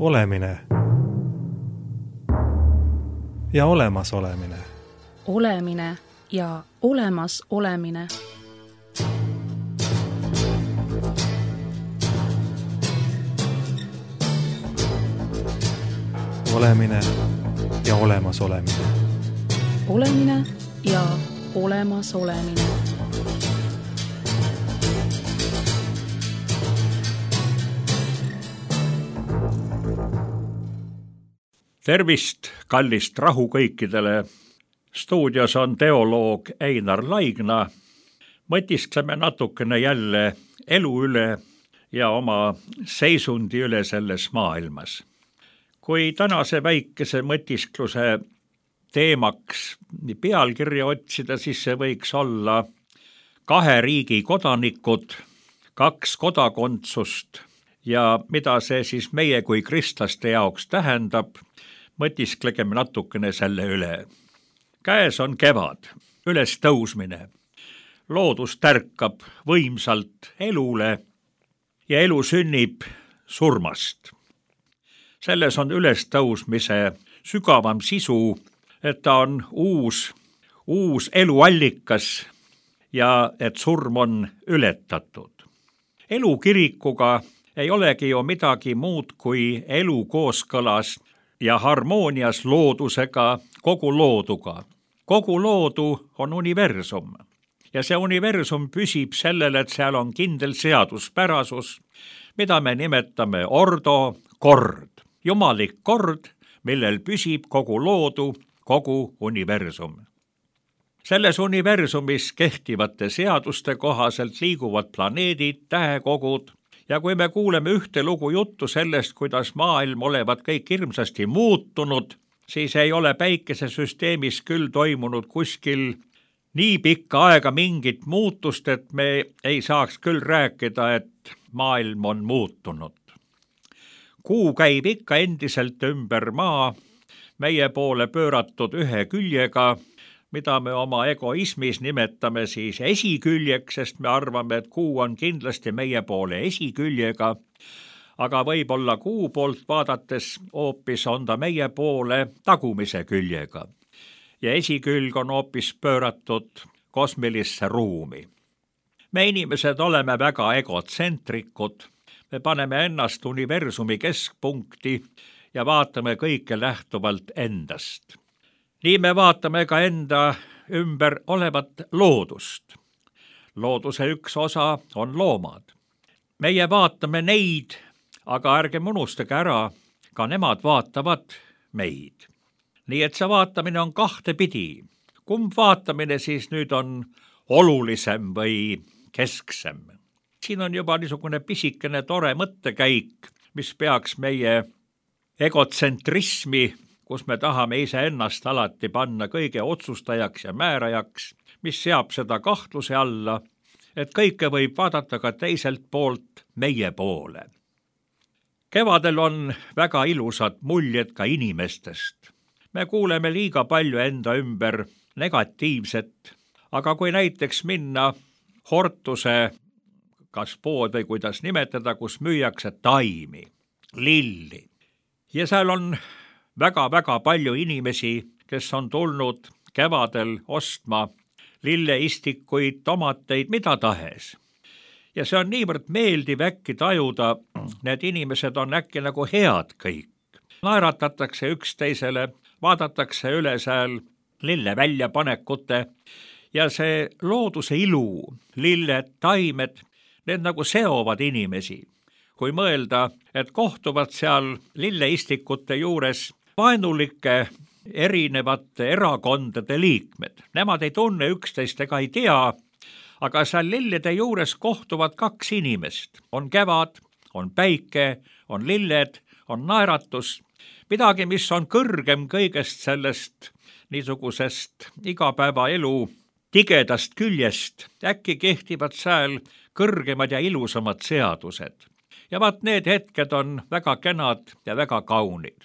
Olemine ja olemas olemine. Olemine ja olemas olemine. Olemine ja olemas olemine. Olemine ja olemas olemine. Tervist, kallist rahu kõikidele. Stuudios on teoloog Einar Laigna. Mõtiskleme natukene jälle elu üle ja oma seisundi üle selles maailmas. Kui tänase väikese mõtiskluse teemaks pealkirja otsida, siis see võiks olla 2 riigi kodanikud, 2 kodakondsust ja mida see siis meie kui kristlaste jaoks tähendab, mõtisklegem natukene selle üle. Käes on kevad, üles tõusmine. Loodus tärkab võimsalt elule ja elu sünnib surmast. Selles on üles tõusmise sügavam sisu, et ta on uus eluallikas ja et surm on ületatud. Elu kirikuga ei olegi ju midagi muud kui elu kooskõlas ja harmoonias loodusega, kogu looduga. Kogu loodu on universum ja see universum püsib sellele, et seal on kindel seaduspärasus, mida me nimetame ordo, kord. Jumalik kord, millel püsib kogu loodu, kogu universum. Selles universumis kehtivate seaduste kohaselt liiguvad planeedid, tähekogud, ja kui me kuuleme ühte lugu juttu sellest, kuidas maailm olevat kõik hirmsasti muutunud, siis ei ole päikesesüsteemis küll toimunud kuskil nii pikka aega mingit muutust, et me ei saaks küll rääkida, et maailm on muutunud. Kuu käib ikka endiselt ümber maa, meie poole pööratud ühe küljega, mida me oma egoismis nimetame siis esiküljeks, sest me arvame, et kuu on kindlasti meie poole esiküljega, aga võib-olla kuu poolt vaadates hoopis on ta meie poole tagumise küljega. Ja esikülg on hoopis pööratud kosmilisse ruumi. Me inimesed oleme väga egotsentrikud, me paneme ennast universumi keskpunkti ja vaatame kõike lähtuvalt endast. Nii me vaatame ka enda ümber olevat loodust. Looduse üks osa on loomad. Meie vaatame neid, aga ärgem unustage ära, ka nemad vaatavad meid. Nii et see vaatamine on 2 pidi. Kumb vaatamine siis nüüd on olulisem või kesksem? Siin on juba niisugune pisikene tore mõttekäik, mis peaks meie egotsentrismi, kus me tahame iseennast alati panna kõige otsustajaks ja määrajaks, mis seab seda kahtluse alla, et kõike võib vaadata ka teiselt poolt meie poole. Kevadel on väga ilusad muljed ka inimestest. Me kuuleme liiga palju enda ümber negatiivset, aga kui näiteks minna Hortuse, kas pood või kuidas nimetada, kus müüakse taimi, lilli, ja seal on väga palju inimesi, kes on tulnud kevadel ostma lilleistikuid, tomateid, mida tahes. Ja see on niivõrd meeldiv äkki tajuda, need inimesed on äkki nagu head kõik. Naeratatakse üksteisele, vaadatakse üle seal lille väljapanekute ja see looduse ilu, lilled, taimed, need nagu seovad inimesi. Kui mõelda, et kohtuvad seal lilleistikute juures vaenulike erinevate erakondade liikmed. Nemad ei tunne üksteist ega ei tea, aga seal lillede juures kohtuvad 2 inimest. On kevad, on päike, on lilled, on naeratus. Midagi, mis on kõrgem kõigest sellest niisugusest igapäevaelu tigedast küljest. Äkki kehtivad seal kõrgemad ja ilusamad seadused. Ja vaat need hetked on väga kenad ja väga kaunid.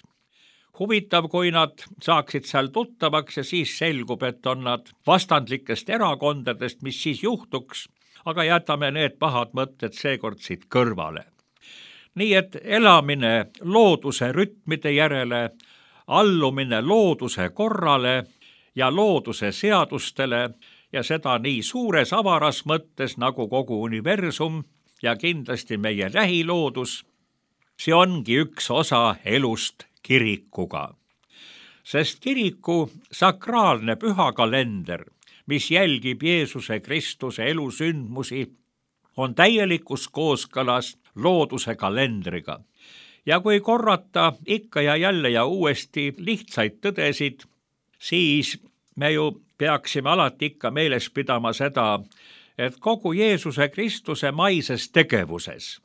Huvitav, kui nad saaksid seal tuttavaks ja siis selgub, et on nad vastandlikest erakondadest, mis siis juhtuks, aga jätame need pahad mõtted seekord siit kõrvale. nii et elamine looduse rütmide järele, allumine looduse korrale ja looduse seadustele ja seda nii suures avaras mõttes nagu kogu universum ja kindlasti meie lähiloodus, see ongi üks osa elust kirikuga. Sest kiriku sakraalne püha kalender, mis jälgib Jeesuse Kristuse elusündmusi, on täielikus kooskõlas looduse kalendriga. Ja kui korrata ikka ja jälle ja uuesti lihtsaid tõdesid, siis me ju peaksime alati ikka meeles pidama seda, et kogu Jeesuse Kristuse maises tegevuses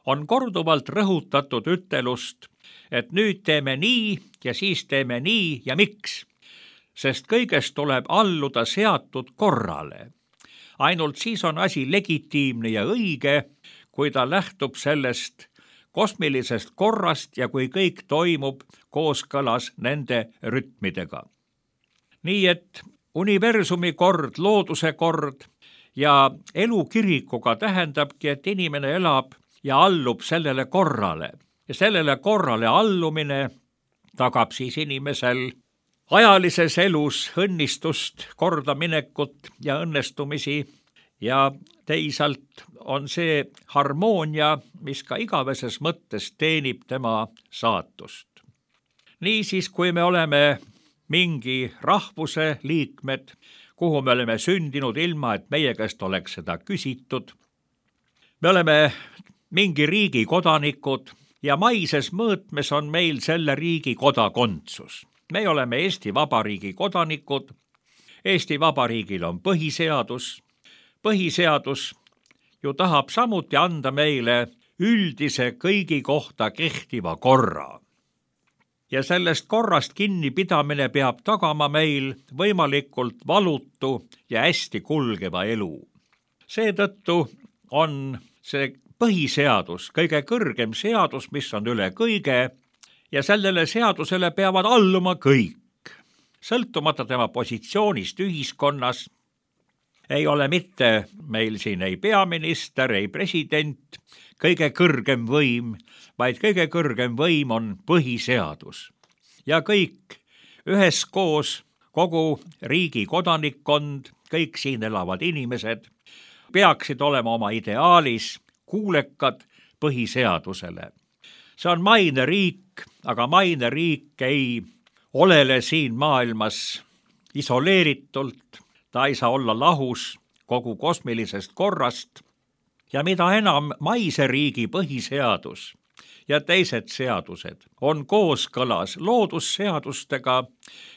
on korduvalt rõhutatud ütelust, et nüüd teeme nii ja siis teeme nii ja miks, sest kõigest tuleb alluda seatud korrale. Ainult siis on asi legitiimne ja õige, kui ta lähtub sellest kosmilisest korrast ja kui kõik toimub kooskõlas nende rütmidega. Nii et universumi kord, looduse kord ja elu kirikuga tähendabki, et inimene elab ja allub sellele korrale. Ja sellele korrale allumine tagab siis inimesel ajalises elus õnnistust, kordaminekut ja õnnestumisi ja teisalt on see harmoonia, mis ka igaveses mõttes teenib tema saatust. Niisiis, kui me oleme mingi rahvuse liikmed, kuhu me oleme sündinud ilma, et meie käest oleks seda küsitud, me oleme mingi riigi kodanikud ja maises mõõtmes on meil selle riigi kodakondsus. Me oleme Eesti Vabariigi kodanikud, Eesti Vabariigil on põhiseadus. Põhiseadus ju tahab samuti anda meile üldise kõigi kohta kehtiva korra. Ja sellest korrast kinnipidamine peab tagama meil võimalikult valutu ja hästi kulgeva elu. Seetõttu on see põhiseadus kõige kõrgem seadus, mis on üle kõige, ja sellele seadusele peavad alluma kõik. Sõltumata tema positsioonist ühiskonnas ei ole mitte meil siin ei peaminister, ei president, kõige kõrgem võim, vaid kõige kõrgem võim on põhiseadus. Ja kõik üheskoos, kogu riigi kodanikkond, kõik siin elavad inimesed, peaksid olema oma ideaalis kuulekad põhiseadusele. See on maine riik, aga maine riik ei olele siin maailmas isoleeritult, ta ei saa olla lahus kogu kosmilisest korrast ja mida enam maise riigi põhiseadus ja teised seadused on kooskõlas loodusseadustega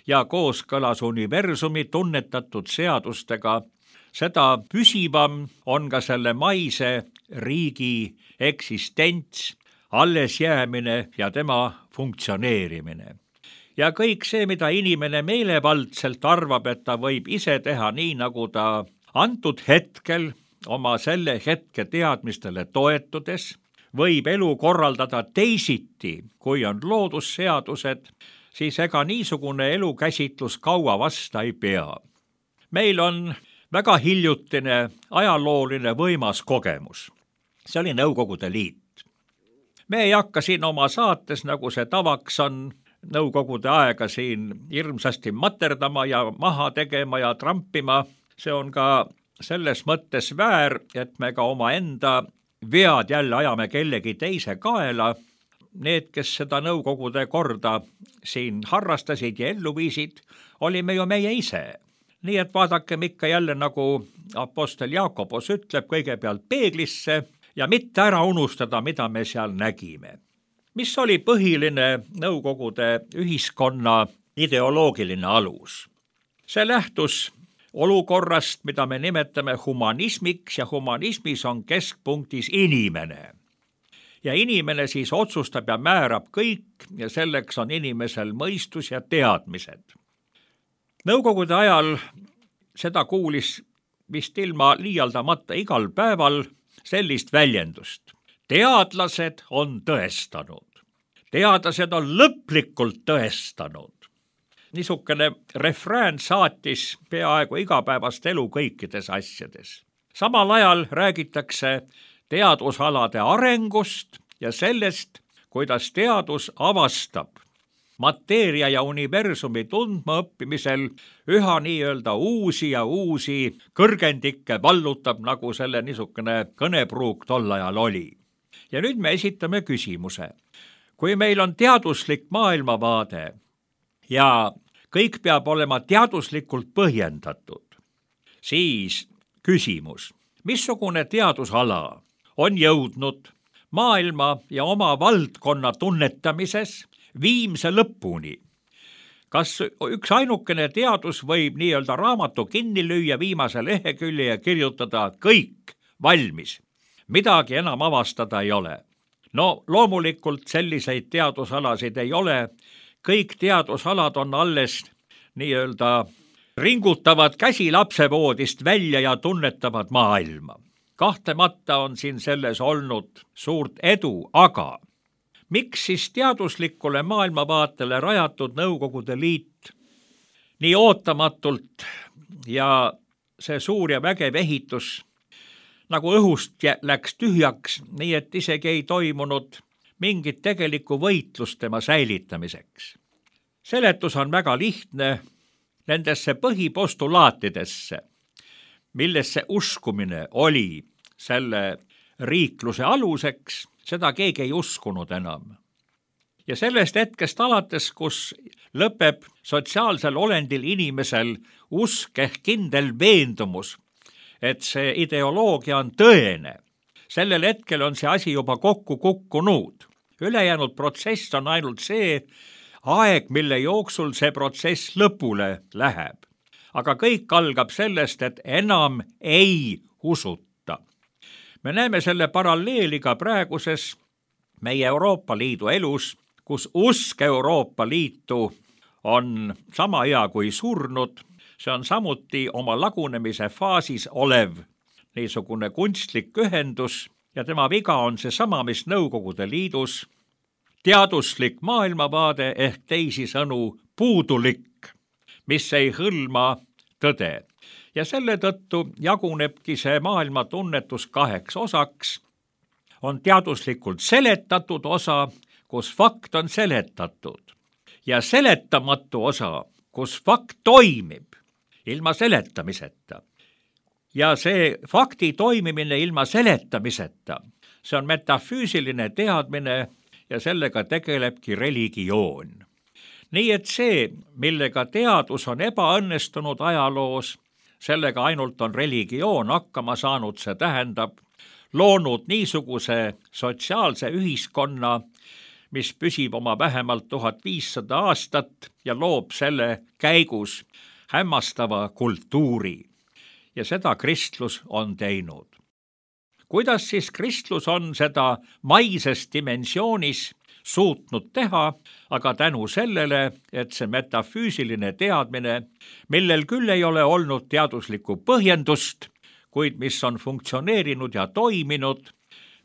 ja kooskõlas universumi tunnetatud seadustega, seda püsivam on ka selle maise riigi eksistents, alles jäämine ja tema funktsioneerimine. Ja kõik see, mida inimene meelevaldselt arvab, et ta võib ise teha nii, nagu ta antud hetkel oma selle hetke teadmistele toetudes, võib elu korraldada teisiti, kui on loodusseadused, siis ega niisugune elukäsitlus kaua vasta ei pea. Meil on väga hiljutine ajalooline võimas kogemus. See oli Nõukogude Liit. Me ei hakka siin oma saates, nagu see tavaks on, Nõukogude aega siin hirmsasti materdama ja maha tegema ja trampima. See on ka selles mõttes väär, et me ka oma enda vead jälle ajame kellegi teise kaela. Need, kes seda Nõukogude korda siin harrastasid ja ellu viisid, olime ju meie ise. Nii et vaadakem ikka jälle, nagu apostel Jaakobos ütleb, kõigepealt peeglisse ja mitte ära unustada, mida me seal nägime. Mis oli põhiline Nõukogude ühiskonna ideoloogiline alus? See lähtus olukorrast, mida me nimetame humanismiks ja humanismis on keskpunktis inimene. Ja inimene siis otsustab ja määrab kõik ja selleks on inimesel mõistus ja teadmised. Nõukogude ajal seda kuulis vist ilma liialdamata igal päeval sellist väljendust. Teadlased on tõestanud. Teadlased on lõplikult tõestanud. Niisugune refrään saatis peaaegu igapäevast elu kõikides asjades. Samal ajal räägitakse teadusalade arengust ja sellest, kuidas teadus avastab mateeria ja universumi tundmaõppimisel üha nii-öelda uusi ja uusi kõrgendikke vallutab, nagu selle niisugune kõnepruuk tol ajal oli. Ja nüüd me esitame küsimuse. Kui meil on teaduslik maailmavaade ja kõik peab olema teaduslikult põhjendatud, siis küsimus, missugune teadusala on jõudnud maailma ja oma valdkonna tunnetamises viimse lõpuni? Kas üks ainukene teadus võib nii-öelda raamatu kinni lüüa viimase lehekülje ja kirjutada kõik valmis? Midagi enam avastada ei ole. No loomulikult selliseid teadusalasid ei ole. Kõik teadusalad on alles nii-öelda ringutavad käsi lapsevoodist välja ja tunnetavad maailma. Kahtlemata on siin selles olnud suurt edu, aga miks siis teaduslikule maailmavaatele rajatud Nõukogude Liit nii ootamatult ja see suur ja vägev ehitus nagu õhust läks tühjaks, nii et isegi ei toimunud mingit tegelikku võitlust tema säilitamiseks? Seletus on väga lihtne nendesse põhipostulaatidesse, millesse uskumine oli selle riikluse aluseks, seda keegi ei uskunud enam. Ja sellest hetkest alates, kus lõpeb sotsiaalsel olendil inimesel usk ehk kindel veendumus, et see ideoloogia on tõene, sellel hetkel on see asi juba kokku kukkunud. Ülejäänud protsess on ainult see aeg, mille jooksul see protsess lõpule läheb. Aga kõik algab sellest, et enam ei usuta. Me näeme selle paralleeli ka praeguses meie Euroopa Liidu elus, kus usk Euroopa Liitu on sama hea kui surnud. See on samuti oma lagunemise faasis olev niisugune kunstlik ühendus ja tema viga on seesama, mis Nõukogude Liidus teaduslik maailmavaade ehk teisisõnu puudulik, mis ei hõlma tõde. Ja selle tõttu jagunebki see maailma tunnetus kaheks osaks. On teaduslikult seletatud osa, kus fakt on seletatud, ja seletamatu osa, kus fakt toimib ilma seletamiseta. Ja see fakti toimimine ilma seletamiseta, see on metafüüsiline teadmine ja sellega tegelebki religioon. Nii et see, millega teadus on ebaõnnestunud ajaloos, sellega ainult on religioon hakkama saanud, see tähendab loonud niisuguse sotsiaalse ühiskonna, mis püsib oma vähemalt 1500 aastat ja loob selle käigus hämmastava kultuuri. Ja seda kristlus on teinud. Kuidas siis kristlus on seda maises dimensioonis suutnud teha, aga tänu sellele, et see metafüüsiline teadmine, millel küll ei ole olnud teaduslikku põhjendust, kuid mis on funktsioneerinud ja toiminud,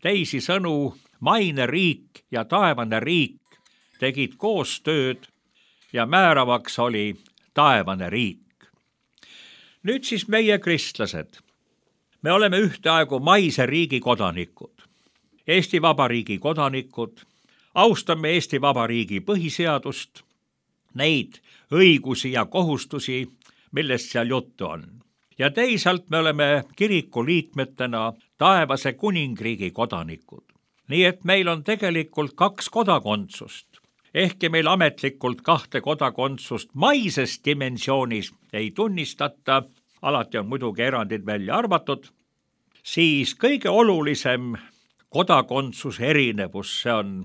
teisisõnu maine riik ja taevane riik tegid koostööd ja määravaks oli taevane riik. Nüüd siis meie kristlased. Me oleme ühtaegu maise riigi kodanikud, Eesti Vabariigi kodanikud, austame Eesti Vabariigi põhiseadust, neid õigusi ja kohustusi, millest seal juttu on. Ja teisalt me oleme kiriku liikmetena taevase kuningriigi kodanikud. Nii et meil on tegelikult 2 kodakondsust. Ehkki meil ametlikult 2 kodakondsust maises dimensioonis ei tunnistata, alati on muidugi erandid välja arvatud, siis kõige olulisem kodakondsuse erinevus, see on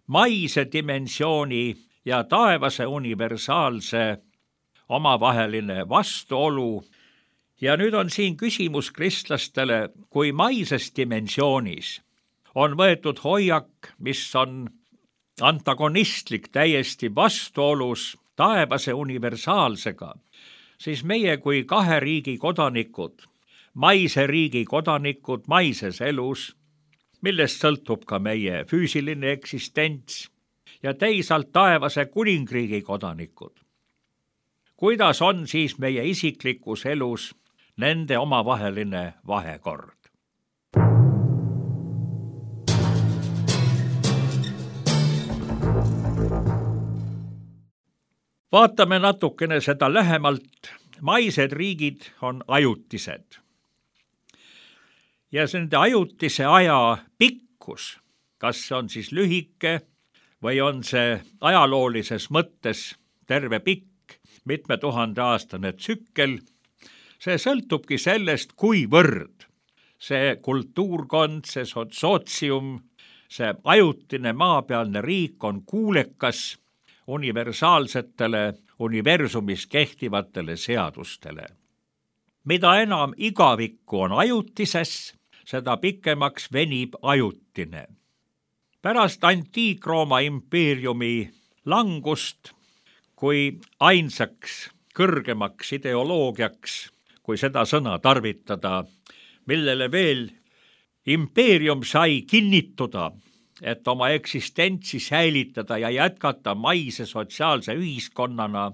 maise dimensiooni ja taevase universaalse omavaheline vastuolu. Ja nüüd on siin küsimus kristlastele, kui maises dimensioonis on võetud hoiak, mis on antagonistlik, täiesti vastuolus taevase universaalsega, siis meie kui 2 riigi kodanikud, maise riigi kodanikud maises elus, millest sõltub ka meie füüsiline eksistents, ja teisalt taevase kuningriigi kodanikud. Kuidas on siis meie isiklikus elus nende omavaheline vahekord? Vaatame natukene seda lähemalt. Maised riigid on ajutised. Ja nende ajutise aja pikkus, kas see on siis lühike või on see ajaloolises mõttes terve pikk, mitme tuhande aastane tsükkel, see sõltubki sellest, kuivõrd see kultuurkond, see sootsium, see ajutine maapealne riik on kuulekas universaalsetele, universumis kehtivatele seadustele. Mida enam igavikku on ajutises, seda pikemaks venib ajutine. Pärast Antiik-Rooma impeeriumi langust, kui ainsaks kõrgemaks ideoloogiaks, kui seda sõna tarvitada, millele veel impeerium sai kinnituda, et oma eksistentsi säilitada ja jätkata maise sotsiaalse ühiskonnana,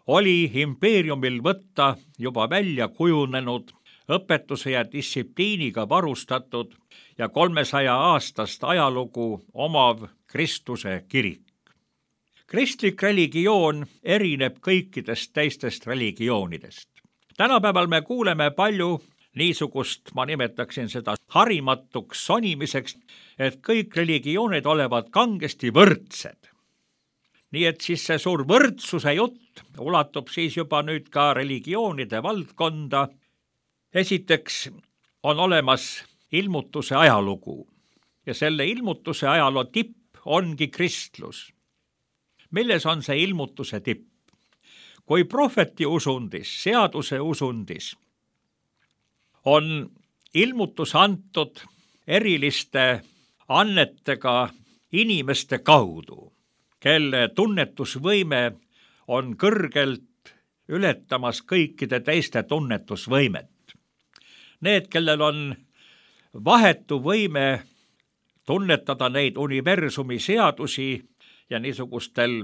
oli impeeriumil võtta juba välja kujunenud, õpetuse ja distsipliiniga varustatud ja 300 aastast ajalugu omav Kristuse kirik. Kristlik religioon erineb kõikidest teistest religioonidest. Tänapäeval me kuuleme palju niisugust, ma nimetaksin seda harimatuks sonimiseks, et kõik religioonid olevat kangesti võrdsed. Nii et siis see suur võrdsuse jutt ulatub siis juba nüüd ka religioonide valdkonda. Esiteks on olemas ilmutuse ajalugu ja selle ilmutuse ajaloo tipp ongi kristlus. Milles on see ilmutuse tipp? Kui prohveti usundis, seaduse usundis on ilmutus antud eriliste annetega inimeste kaudu, kelle tunnetusvõime on kõrgelt ületamas kõikide teiste tunnetusvõimet. Need, kellel on vahetu võime tunnetada neid universumi seadusi ja niisugustel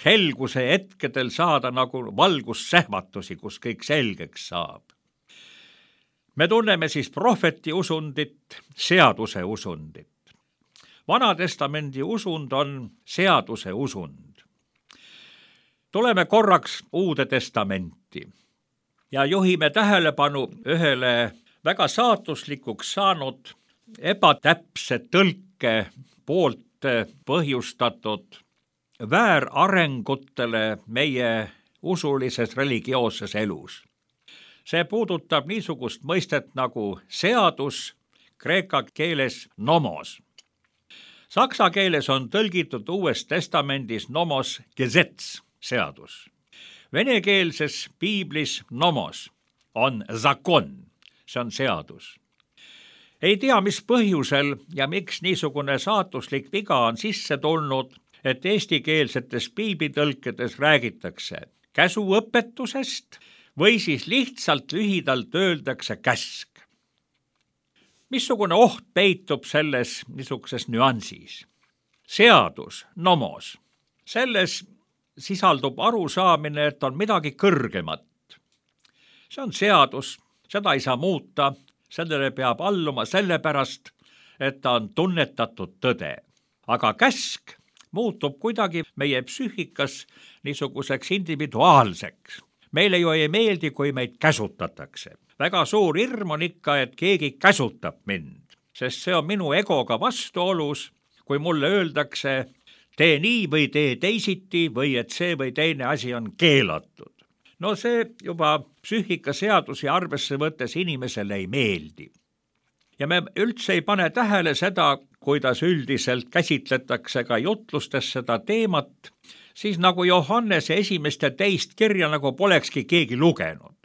helguse hetkedel saada nagu valgussähvatusi, kus kõik selgeks saab. Me tunneme siis prohveti usundit, seaduse usundit. Vanatestamendi usund on seaduse usund. Tuleme korraks Uude testamenti ja juhime tähelepanu ühele väga saatuslikuks saanud ebatäpse tõlke poolt põhjustatud väärarengutele meie usulises religioosses elus. See puudutab niisugust mõistet nagu seadus, kreeka keeles nomos. Saksa keeles on tõlgitud Uues testamendis nomos gesetz, seadus. Venekeelses piiblis nomos on zakon, see on seadus. Ei tea, mis põhjusel ja miks niisugune saatuslik viga on sisse tulnud, et eestikeelsetes piiblitõlkedes räägitakse käsuõpetusest või siis lihtsalt lühidalt öeldakse käsk. Missugune oht peitub selles niisuguses nüansis? Seadus, nomos. Selles sisaldub arusaamine, et on midagi kõrgemat. See on seadus, seda ei saa muuta, sellele peab alluma sellepärast, et ta on tunnetatud tõde. Aga käsk muutub kuidagi meie psüühikas niisuguseks individuaalseks. Meile ju ei meeldi, kui meid käsutatakse. Väga suur hirm on ikka, et keegi käsutab mind, sest see on minu egoga vastuolus, kui mulle öeldakse, tee nii või tee teisiti või et see või teine asi on keelatud. No see juba psüühikaseadusi arvesse võttes inimesele ei meeldi. Ja me üldse ei pane tähele seda, kuidas üldiselt käsitletakse ka jutlustes seda teemat, siis nagu Johannese esimest ja teist kirja nagu polekski keegi lugenud.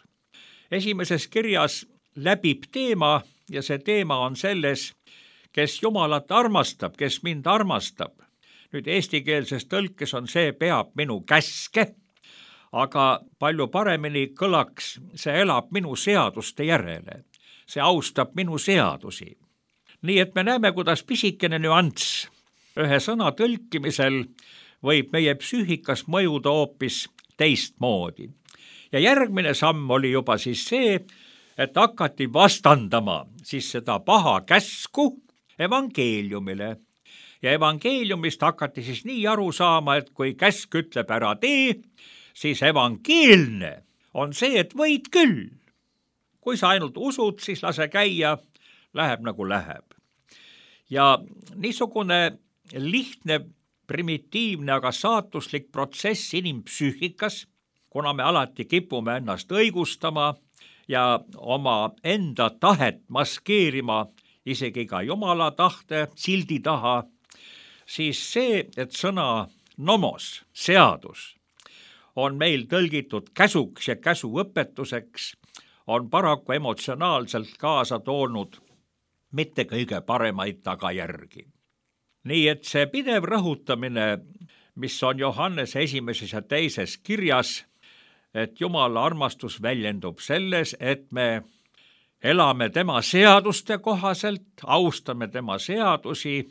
Esimeses kirjas läbib teema ja see teema on selles, kes Jumalat armastab, kes mind armastab. Nüüd eestikeelses tõlkes on see peab minu käske, aga palju paremini kõlaks, see elab minu seaduste järele. See austab minu seadusi. Nii et me näeme, kuidas pisikene nüanss ühe sõna tõlkimisel võib meie psüühikas mõjuda hoopis teistmoodi. Ja järgmine samm oli juba siis see, et hakati vastandama siis seda paha käsku evangeeliumile. Ja evangeeliumist hakati siis nii aru saama, et kui käsk ütleb ära tee, siis evangeelne on see, et võid küll. Kui sa ainult usud, siis lase käia, läheb nagu läheb. Ja niisugune lihtne, primitiivne, aga saatuslik protsess inimpsüühikas, kuna me alati kipume ennast õigustama ja oma enda tahet maskeerima isegi ka Jumala tahte sildi taha, siis see, et sõna nomos, seadus, on meil tõlgitud käsuks ja käsuõpetuseks, on paraku emotsionaalselt kaasa toonud mitte kõige paremaid tagajärgi. Nii et see pidev rõhutamine, mis on Johannese 1. ja 2. kirjas, et Jumala armastus väljendub selles, et me elame tema seaduste kohaselt, austame tema seadusi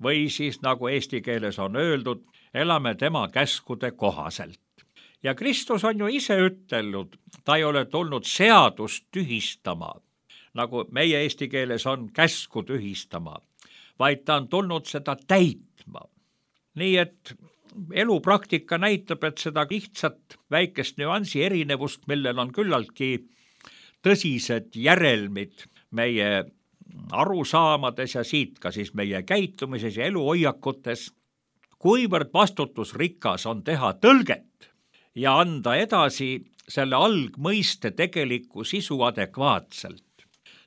või siis, nagu eesti keeles on öeldud, elame tema käskude kohaselt. Ja Kristus on ju ise ütelnud, ta ei ole tulnud seadust tühistama, nagu meie eesti keeles on käsku tühistama, vaid ta on tulnud seda täitma. Nii et elupraktika näitab, et seda lihtsat väikest nüansi erinevust, millel on küllaltki tõsised järelmid meie arusaamades ja siit ka siis meie käitumises ja eluhoiakutes, kuivõrd vastutusrikas on teha tõlget ja anda edasi selle algmõiste tegelikku sisu adekvaatselt.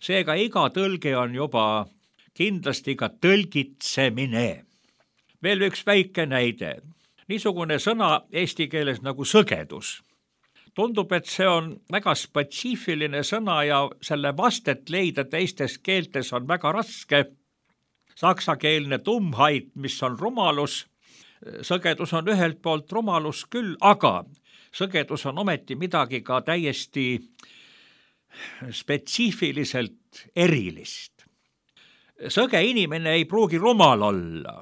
Seega iga tõlge on juba kindlasti ka tõlgitsemine. Veel üks väike näide. Niisugune sõna eesti keeles nagu sõgedus. Tundub, et see on väga spetsiifiline sõna ja selle vastet leida teistes keeltes on väga raske. Saksakeelne Dummheit, mis on rumalus. Sõgedus on ühelt poolt rumalus küll, aga sõgedus on ometi midagi ka täiesti spetsiifiliselt erilist. Sõge inimene ei pruugi rumal olla.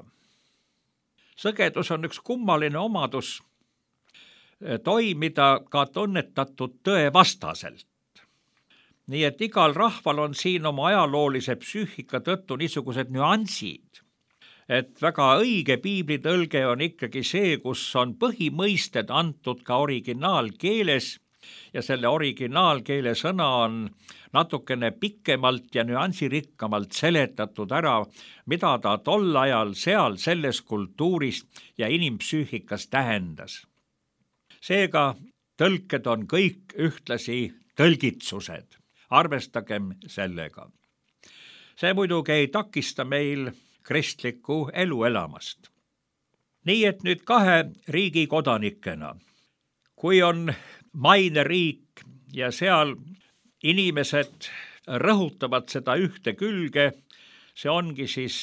Sõgedus on üks kummaline omadus toimida ka tunnetatud tõe vastaselt. Nii et igal rahval on siin oma ajaloolise psüühika tõttu niisugused nüansid, et väga õige piiblitõlge on ikkagi see, kus on põhimõisted antud ka originaalkeeles ja selle originaalkeele sõna on natukene pikemalt ja nüansirikkamalt seletatud ära, mida ta tol ajal seal selles kultuuris ja inimpsüühikas tähendas. Seega tõlked on kõik ühtlasi tõlgitsused. Arvestagem sellega. See muidugi ei takista meil kristlikku elu elamast. Nii et nüüd 2 riigi kodanikena. Kui on maine riik ja seal inimesed rõhutavad seda ühte külge, see ongi siis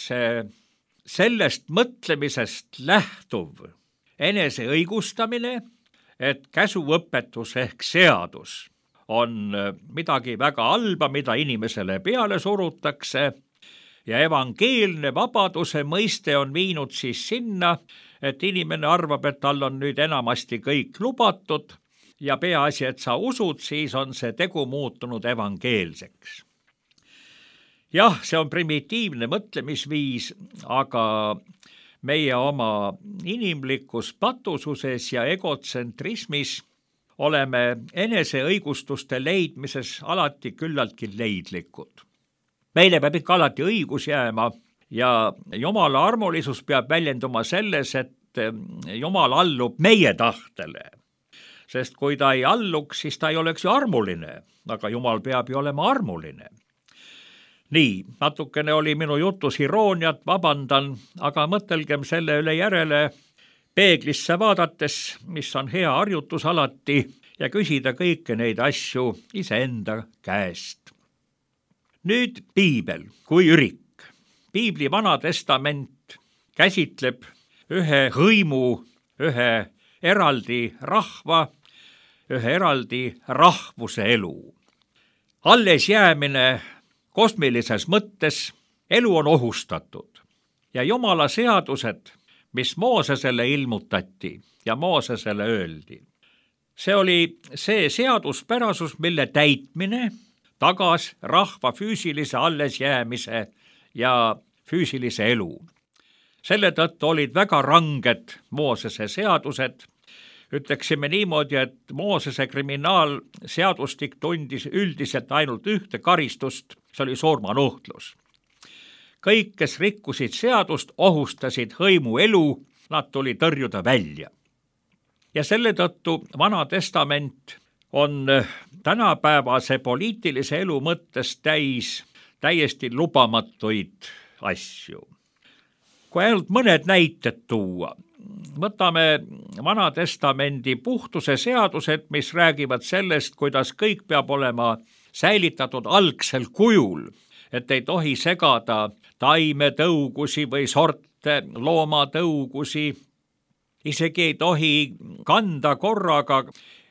sellest mõtlemisest lähtuv enese õigustamine, et käsuõpetus ehk seadus on midagi väga halba, mida inimesele peale surutakse ja evangeelne vabaduse mõiste on viinud siis sinna, et inimene arvab, et tal on nüüd enamasti kõik lubatud ja peaasi, et sa usud, siis on see tegu muutunud evangeelseks. Jah, see on primitiivne mõtlemisviis, aga meie oma inimlikus patususes ja egotsentrismis oleme eneseõigustuste leidmises alati küllaltki leidlikud. Meile peab ikka alati õigus jääma ja Jumala armulisus peab väljenduma selles, et Jumal allub meie tahtele. Sest kui ta ei alluks, siis ta ei oleks ju armuline, aga Jumal peab ju olema armuline. Nii, natukene oli minu jutus irooniat, vabandan, aga mõtelgem selle üle järele peeglisse vaadates, mis on hea harjutus alati, ja küsida kõiki neid asju iseenda käest. Nüüd piibel kui ürik. Piibli Vana Testament käsitleb ühe hõimu, ühe eraldi rahva, ühe eraldi rahvuse elu. Alles jäämine kosmilises mõttes, elu on ohustatud ja Jumala seadused, mis Moosesele ilmutati ja Moosesele öeldi. See oli see seaduspärasus, mille täitmine tagas rahva füüsilise allesjäämise ja füüsilise elu. Selle tõttu olid väga ranged Moosese seadused, ütleksime niimoodi, et Moosese kriminaalseadustik tundis üldiselt ainult ühte karistust, see oli surmanuhtlus. Kõik, kes rikkusid seadust, ohustasid hõimu elu, nad tuli tõrjuda välja. Ja selle tõttu Vana Testament on tänapäevase poliitilise elu mõttes täiesti lubamatuid asju. Kui ainult mõned näited tuua, võtame Vana Testamendi puhtuse seadused, mis räägivad sellest, kuidas kõik peab olema säilitatud algsel kujul, et ei tohi segada taimetõugusi või sorte loomatõugusi, isegi ei tohi kanda korraga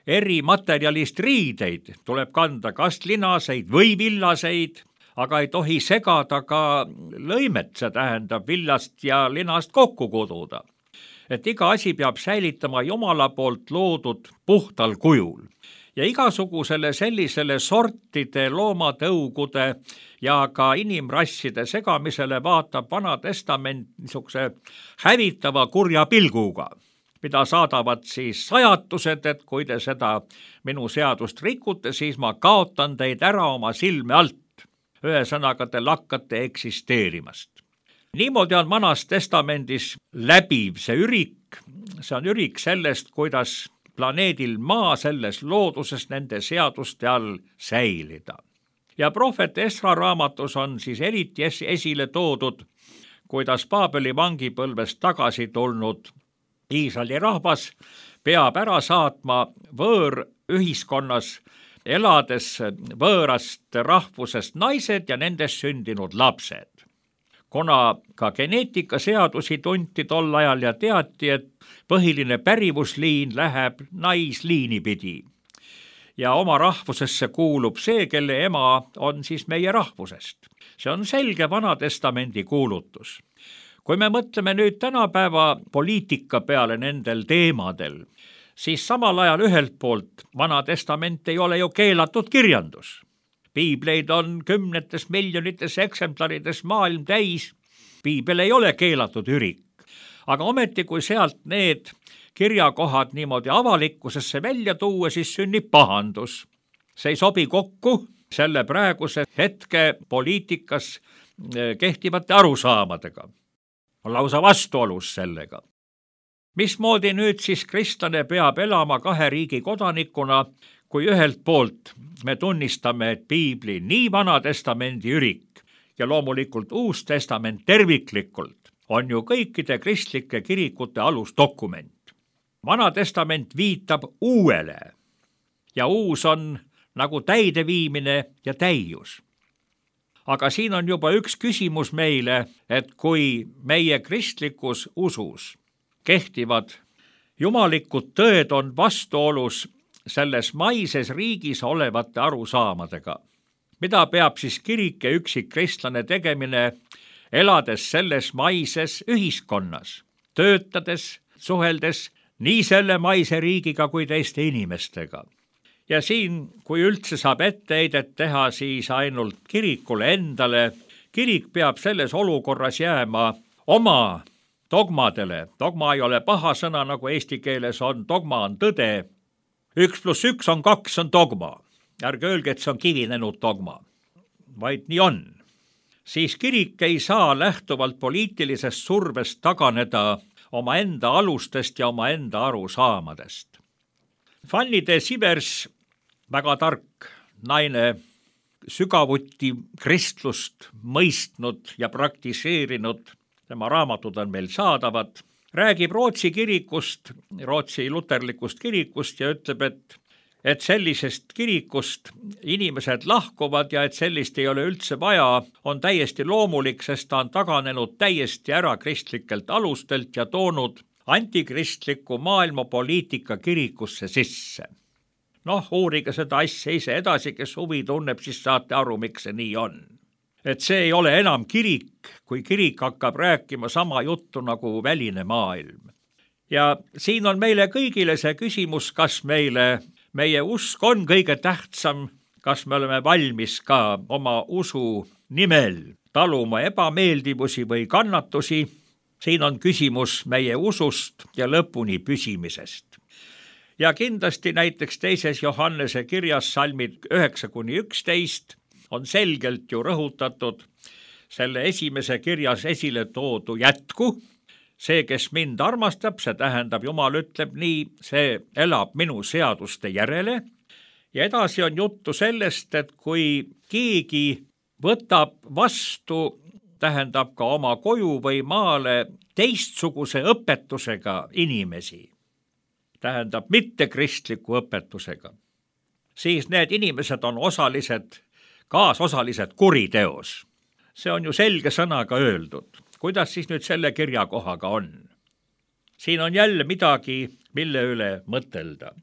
eri materjalist riideid, tuleb kanda kas linaseid või villaseid, aga ei tohi segada ka lõimet, see tähendab villast ja linast kokku kududa. Et iga asi peab säilitama Jumala poolt loodud puhtal kujul. Ja igasugusele sellisele sortide, loomatõugude ja ka inimrasside segamisele vaatab Vana Testament niisuguse hävitava kurja pilguga, mida saadavad siis sajatused, et kui te seda minu seadust rikute, siis ma kaotan teid ära oma silme alt. Ühesõnaga te lakkate eksisteerimast. Niimoodi on Vanas Testamendis läbiv see ürik. See on ürik sellest, kuidas planeedil Maa selles looduses nende seaduste all säilida. Ja prohvet Esra raamatus on siis eriti esile toodud, kuidas Paabeli vangipõlvest tagasi tulnud Iisraeli rahvas peab ära saatma võõrühiskonnas elades võõrast rahvusest naised ja nendest sündinud lapsed. Kuna ka geneetikaseadusi tunti tol ajal ja teati, et põhiline pärivusliin läheb naisliini pidi. Ja oma rahvusesse kuulub see, kelle ema on siis meie rahvusest. See on selge Vana Testamendi kuulutus. Kui me mõtleme nüüd tänapäeva poliitika peale nendel teemadel, siis samal ajal ühelt poolt Vana Testament ei ole ju keelatud kirjandus. Piibleid on kümnetes miljonites eksemplarides maailm täis. Piibel ei ole keelatud ürik. Aga ometi, kui sealt need kirjakohad niimoodi avalikkusesse välja tuua, siis sünnib pahandus. See ei sobi kokku selle praeguse hetke poliitikas kehtivate arusaamadega. On lausa vastuolus sellega. Mismoodi nüüd siis kristlane peab elama kahe riigi kodanikuna, kui ühelt poolt me tunnistame, et Piibli nii Vana Testamendi ürik ja loomulikult Uus Testament terviklikult on ju kõikide kristlike kirikute alusdokument. Vana Testament viitab uuele ja uus on nagu täideviimine ja täius. Aga siin on juba üks küsimus meile, et kui meie kristlikus usus kehtivad jumalikud tõed on vastuolus selles maises riigis olevate arusaamadega. Mida peab siis kirik ja üksik kristlane tegemine, elades selles maises ühiskonnas, töötades, suheldes nii selle maise riigiga kui teiste inimestega? Ja siin, kui üldse saab etteheidet teha, siis ainult kirikule endale, kirik peab selles olukorras jääma oma dogmadele. Dogma ei ole paha sõna, nagu eesti keeles on, dogma on tõde. 1+1 on 2 on dogma. Ärge öelge, et see on kivinenud dogma, vaid nii on. Siis kirik ei saa lähtuvalt poliitilisest survest taganeda oma enda alustest ja oma enda arusaamadest. Fanny de Sivers, väga tark naine, sügavuti kristlust mõistnud ja praktiseerinud, tema raamatud on meil saadavad, räägib Rootsi kirikust, Rootsi luterlikust kirikust ja ütleb, et sellisest kirikust inimesed lahkuvad ja et sellist ei ole üldse vaja, on täiesti loomulik, sest ta on taganenud täiesti ära kristlikelt alustelt ja toonud antikristliku maailmapoliitika kirikusse sisse. Uurige seda asja ise edasi, kes huvi tunneb, siis saate aru, miks see nii on. Et see ei ole enam kirik, kui kirik hakkab rääkima sama juttu nagu väline maailm. Ja siin on meile kõigile see küsimus, kas meie usk on kõige tähtsam, kas me oleme valmis ka oma usu nimel taluma ebameeldivusi või kannatusi. Siin on küsimus meie usust ja lõpuni püsimisest. ja kindlasti näiteks 2. Johannese kirjas salmid 9-11 on selgelt ju rõhutatud selle esimese kirjas esile toodu jätku. See, kes mind armastab, see tähendab, Jumal ütleb nii, see elab minu seaduste järele. Ja edasi on juttu sellest, et kui keegi võtab vastu, tähendab ka oma koju või maale teistsuguse õpetusega inimesi, tähendab mittekristliku õpetusega, siis need inimesed on kaasosalised kuriteos. See on ju selge sõnaga öeldud. Kuidas siis nüüd selle kirjakohaga on? Siin on jälle midagi, mille üle mõtelda.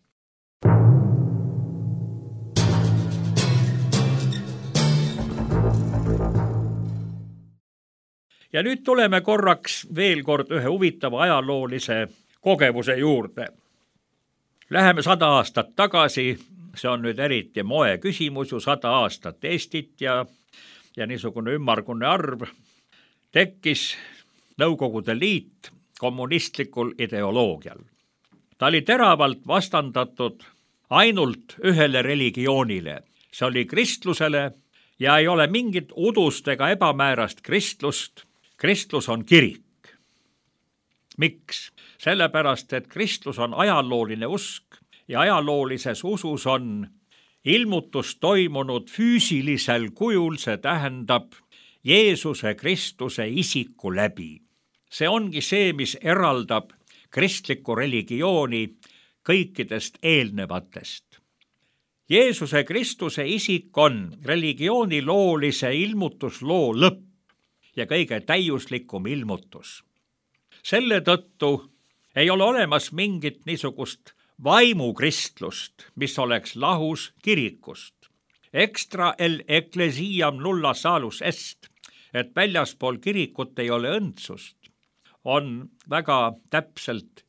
Ja nüüd tuleme korraks veel kord ühe huvitava ajaloolise kogemuse juurde. Läheme 100 aastat tagasi, see on nüüd eriti moe küsimus ju 100 aastat Eestit ja niisugune ümmargune arv. Tekkis Nõukogude Liit kommunistlikul ideoloogial. Ta oli teravalt vastandatud ainult ühele religioonile. See oli kristlusele ja ei ole mingit udust ega ebamäärast kristlust. Kristlus on kirik. Miks? Sellepärast, et kristlus on ajalooline usk ja ajaloolises usus on ilmutus toimunud füüsilisel kujul, see tähendab Jeesuse Kristuse isiku läbi. See ongi see, mis eraldab kristlikku religiooni kõikidest eelnevatest. Jeesuse Kristuse isik on religiooni loolise ilmutusloo lõpp ja kõige täiuslikum ilmutus. Selle tõttu ei ole olemas mingit niisugust vaimukristlust, mis oleks lahus kirikust. Extra el ecclesiam nulla salus est, et väljaspool kirikut ei ole õndsust, on väga täpselt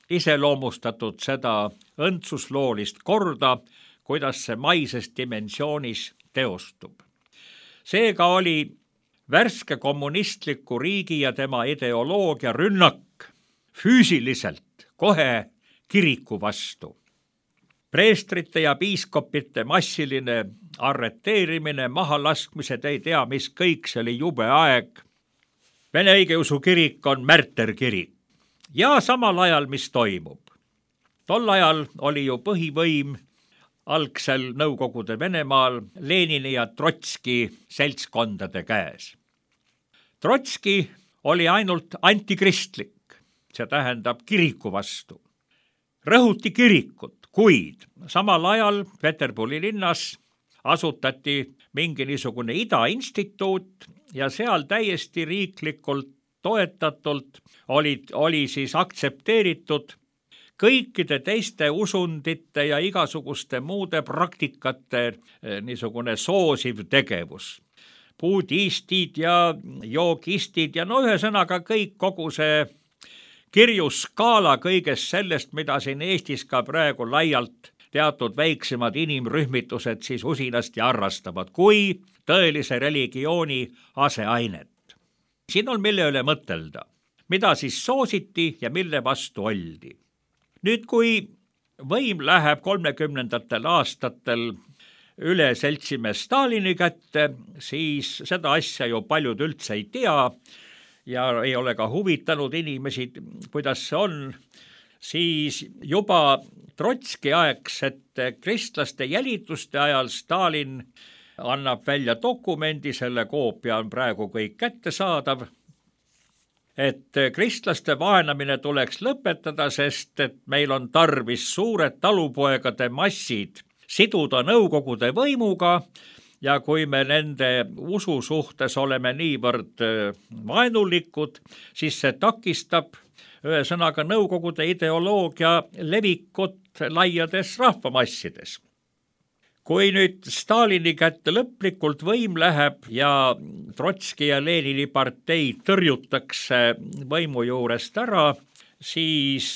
iseloomustatud seda õndsusloolist korda, kuidas see maises dimensioonis teostub. Seega oli värske kommunistliku riigi ja tema ideoloogia rünnak füüsiliselt kohe kiriku vastu. Preestrite ja piiskopite massiline arreteerimine, mahalaskmised, ei tea mis kõik, see oli jube aeg. Vene õigeusu kirik on märterkirik. Ja samal ajal, mis toimub? Tol ajal oli ju põhivõim algsel Nõukogude Venemaal Lenini ja Trotski seltskondade käes. Trotski oli ainult antikristlik, see tähendab kiriku vastu. Rõhuti kirikut, kuid samal ajal Peterburi linnas asutati mingi niisugune idainstituut ja seal täiesti riiklikult toetatult oli siis aktsepteeritud kõikide teiste usundite ja igasuguste muude praktikate niisugune soosiv tegevus. Budistid ja joogistid ja ühesõnaga kõik, kogu see kirjuskaala kõigest sellest, mida siin Eestis ka praegu laialt teatud väiksemad inimrühmitused siis usinasti harrastavad, kui tõelise religiooni aseainet. Siin on mille üle mõtelda, mida siis soositi ja mille vastu oldi. Nüüd, kui võim läheb 30. aastatel üle seltsimees Stalini kätte, siis seda asja ju paljud üldse ei tea ja ei ole ka huvitanud inimesi, kuidas see on, siis juba Trotski aegsete kristlaste jälituste ajal Stalin annab välja dokumendi, selle koopia on praegu kõik kättesaadav, et kristlaste vaenamine tuleks lõpetada, sest et meil on tarvis suured talupoegade massid siduda Nõukogude võimuga ja kui me nende usu suhtes oleme niivõrd vaenulikud, siis see takistab ühesõnaga Nõukogude ideoloogia levikut laiades rahvamassides. Kui nüüd Stalini kätte lõplikult võim läheb ja Trotski ja Lenini partei tõrjutakse võimu juurest ära, siis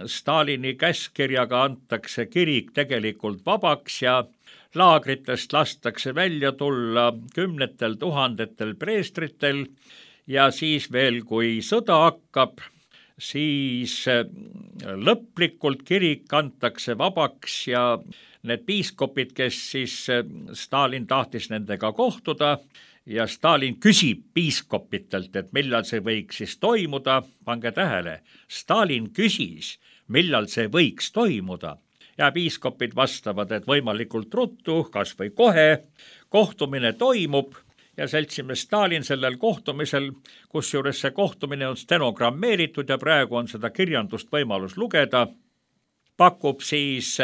Stalini käskkirjaga antakse kirik tegelikult vabaks ja laagritest lastakse välja tulla 10 000 preestritel ja siis veel, kui sõda hakkab, siis lõplikult kirik antakse vabaks ja need piiskopid, kes siis Stalin tahtis nendega kohtuda ja Stalin küsib piiskopitelt, et millal see võiks siis toimuda, pange tähele, Stalin küsis, millal see võiks toimuda ja piiskopid vastavad, et võimalikult ruttu, kas või kohe, kohtumine toimub ja seltsimees Stalin sellel kohtumisel, kusjuures see kohtumine on stenogrammeeritud ja praegu on seda kirjandust võimalus lugeda, pakub siis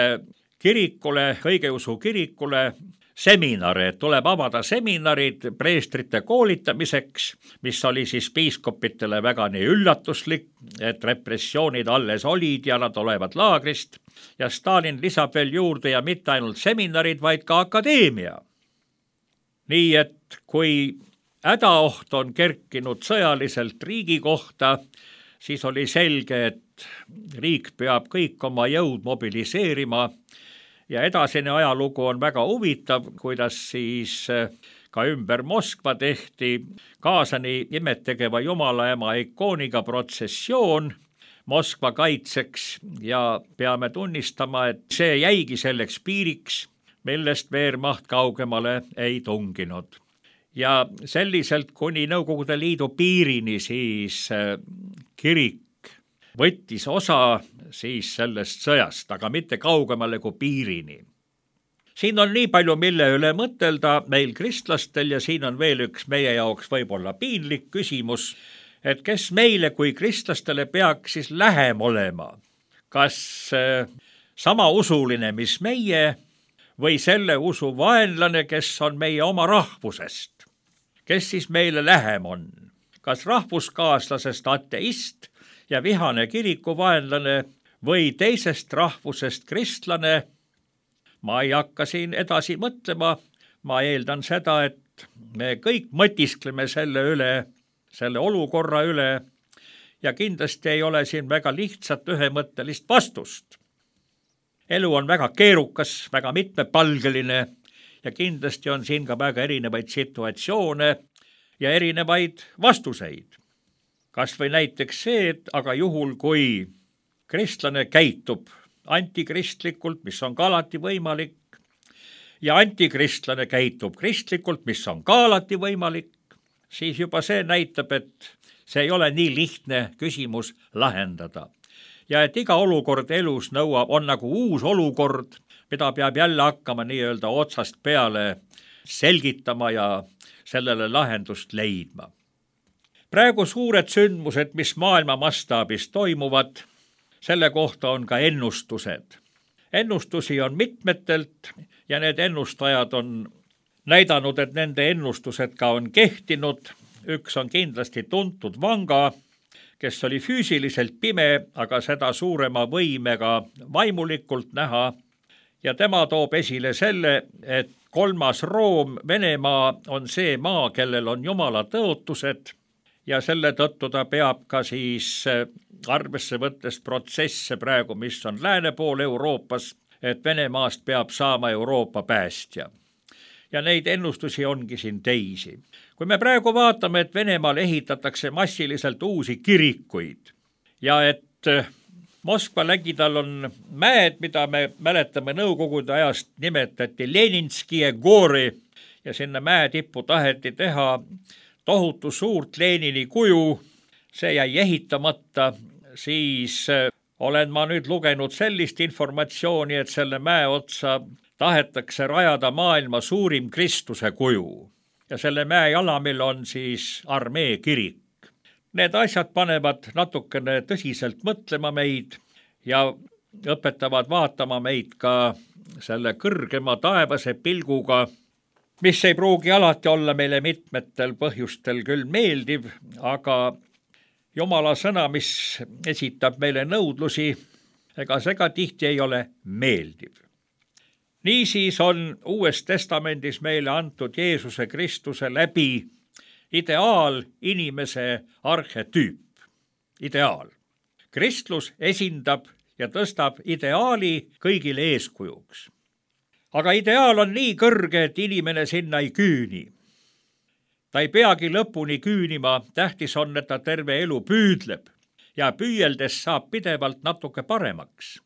kirikule, õigeusu kirikule seminare, et tuleb avada seminarid preestrite koolitamiseks, mis oli siis piiskopitele väga nii üllatuslik, et repressioonid alles olid ja nad olevat laagrist ja Stalin lisab veel juurde ja mitte ainult seminarid, vaid ka akadeemia. Nii et kui hädaoht on kerkinud sõjaliselt riigi kohta, siis oli selge, et riik peab kõik oma jõud mobiliseerima ja edasine ajalugu on väga huvitav, kuidas siis ka ümber Moskva tehti Kaasani imetegeva jumalaema ikooniga protsessioon Moskva kaitseks ja peame tunnistama, et see jäigi selleks piiriks, millest Wehrmacht kaugemale ei tunginud. Ja selliselt kuni Nõukogude Liidu piirini siis kirik võttis osa siis sellest sõjast, aga mitte kaugemale kui piirini. Siin on nii palju, mille üle mõtelda meil kristlastel ja siin on veel üks meie jaoks võib-olla piinlik küsimus, et kes meile kui kristlastele peaks siis lähem olema. Kas sama usuline, mis meie, või selle usu vaenlane, kes on meie oma rahvusest? Kes siis meile lähem on? Kas rahvuskaaslasest ateist ja vihane kirikuvaenlane või teisest rahvusest kristlane? Ma ei hakka siin edasi mõtlema, ma eeldan seda, et me kõik mõtiskleme selle üle, selle olukorra üle ja kindlasti ei ole siin väga lihtsat ühemõttelist vastust. Elu on väga keerukas, väga mitmepalgeline ja kindlasti on siin ka väga erinevaid situatsioone ja erinevaid vastuseid. Kas või näiteks see, et aga juhul, kui kristlane käitub antikristlikult, mis on ka alati võimalik, ja antikristlane käitub kristlikult, mis on ka alati võimalik, siis juba see näitab, et see ei ole nii lihtne küsimus lahendada. Ja et iga olukord elus on nagu uus olukord, mida peab jälle hakkama nii-öelda otsast peale selgitama ja sellele lahendust leidma. Praegu suured sündmused, mis maailma mastaabis toimuvad, selle kohta on ka ennustused. Ennustusi on mitmetelt ja need ennustajad on näidanud, et nende ennustused ka on kehtinud. Üks on kindlasti tuntud Vanga, kes oli füüsiliselt pime, aga seda suurema võimega vaimulikult näha. Ja tema toob esile selle, et 3. Room, Venemaa, on see maa, kellel on Jumala tõotused ja selle tõttu ta peab ka siis arvesse võttes protsesse praegu, mis on lääne pool Euroopas, et Venemaast peab saama Euroopa päästja. Ja neid ennustusi ongi siin teisi. Kui me praegu vaatame, et Venemaal ehitatakse massiliselt uusi kirikuid ja et Moskva lägidal on mäed, mida me mäletame Nõukogude ajast nimetati Leninski Gori ja sinna mäe tippu taheti teha tohutu suurt Lenini kuju, see jäi ehitamata, siis olen ma nüüd lugenud sellist informatsiooni, et selle mäe otsa tahetakse rajada maailma suurim Kristuse kuju ja selle mäe jalamil on siis armee kirik. Need asjad panevad natukene tõsiselt mõtlema meid ja õpetavad vaatama meid ka selle kõrgema taevase pilguga, mis ei pruugi alati olla meile mitmetel põhjustel küll meeldiv, aga Jumala sõna, mis esitab meile nõudlusi, ega see ka tihti ei ole meeldiv. Niisiis on Uues Testamendis meile antud Jeesuse Kristuse läbi ideaal inimese arhetüüp. Ideaal. Kristlus esindab ja tõstab ideaali kõigile eeskujuks. Aga ideaal on nii kõrge, et inimene sinna ei küüni. Ta ei peagi lõpuni küünima, tähtis on, et ta terve elu püüdleb ja püüeldes saab pidevalt natuke paremaks.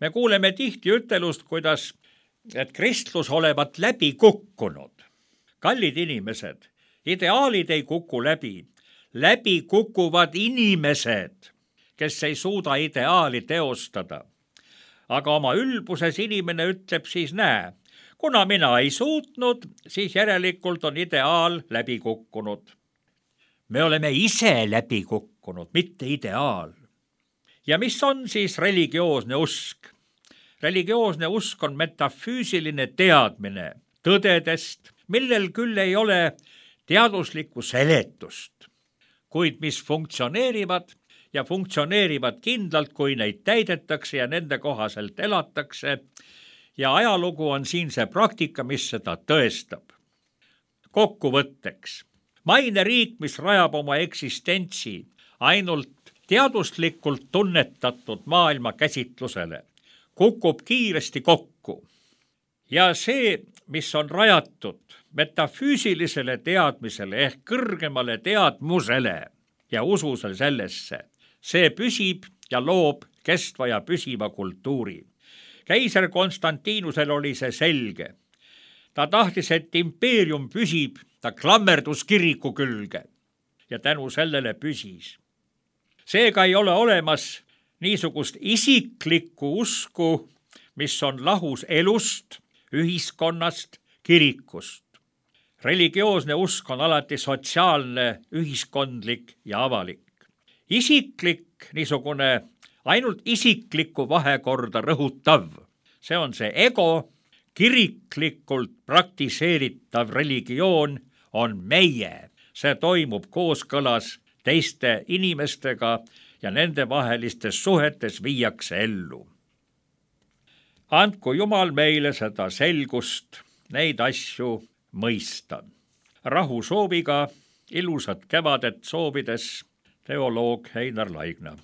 Me kuuleme tihti ütelust, et kristlus olevat läbi kukkunud. Kallid inimesed, ideaalid ei kuku läbi. Läbi kukuvad inimesed, kes ei suuda ideaali teostada. Aga oma ülbuses inimene ütleb siis näe, kuna mina ei suutnud, siis järelikult on ideaal läbi kukkunud. Me oleme ise läbi kukkunud, mitte ideaal. Ja mis on siis religioosne usk? Religioosne usk on metafüüsiline teadmine tõdedest, millel küll ei ole teaduslikku seletust, kuid mis funktsioneerivad ja funktsioneerivad kindlalt, kui neid täidetakse ja nende kohaselt elatakse. Ja ajalugu on siin see praktika, mis seda tõestab. Kokkuvõtteks, maine riik, mis rajab oma eksistentsi ainult teaduslikult tunnetatud maailma käsitlusele, kukub kiiresti kokku. Ja see, mis on rajatud metafüüsilisele teadmisele ehk kõrgemale teadmusele ja ususel sellesse, see püsib ja loob kestva ja püsiva kultuuri. Keiser Konstantinusel oli see selge. Ta tahtis, et impeerium püsib, ta klammerdus kiriku külge ja tänu sellele püsis. Seega ei ole olemas niisugust isiklikku usku, mis on lahus elust, ühiskonnast, kirikust. Religioosne usk on alati sotsiaalne, ühiskondlik ja avalik. Isiklik, niisugune ainult isiklikku vahekorda rõhutav, see on see ego, kiriklikult praktiseeritav religioon on meie. See toimub kooskõlas teiste inimestega ja nende vahelistes suhetes viiakse ellu. Andku Jumal meile seda selgust, neid asju mõista. Rahu sooviga, ilusat kevadet soovides, teoloog Einar Laigna.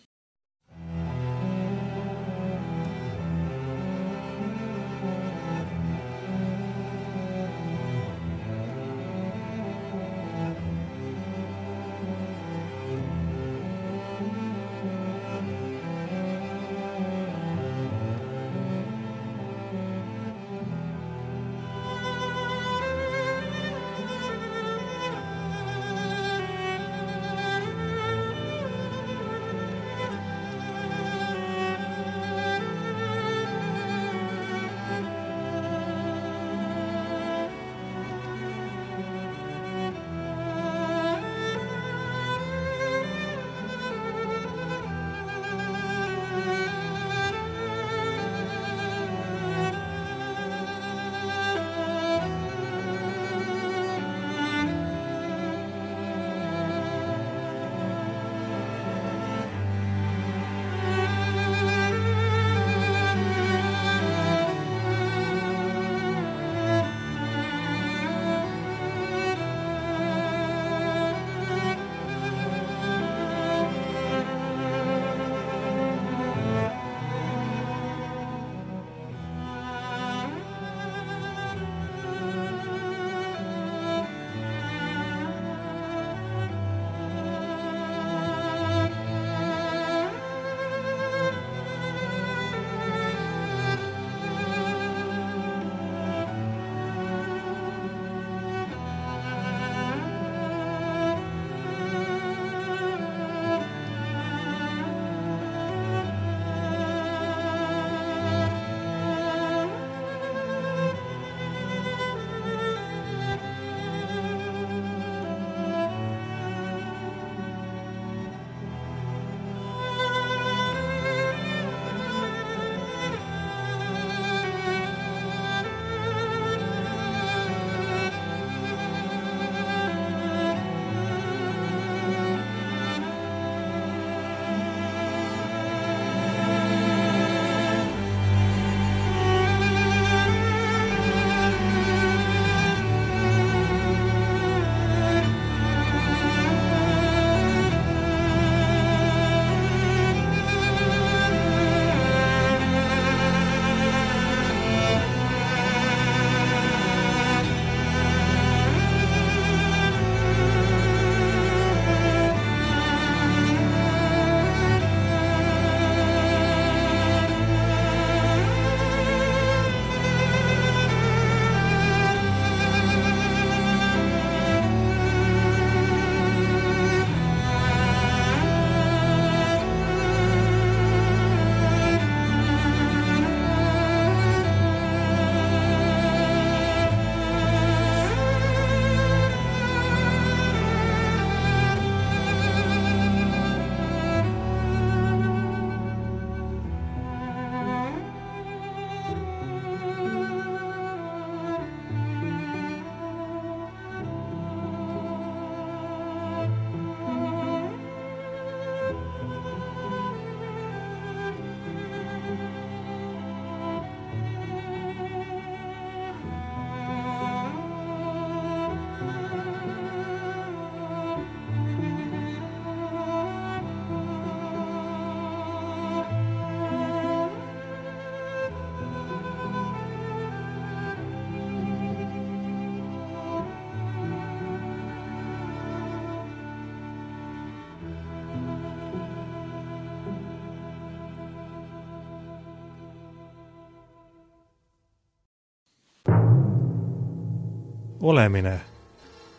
olemine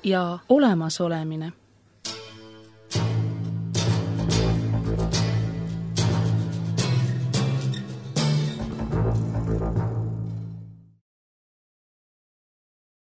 ja olemasolemine.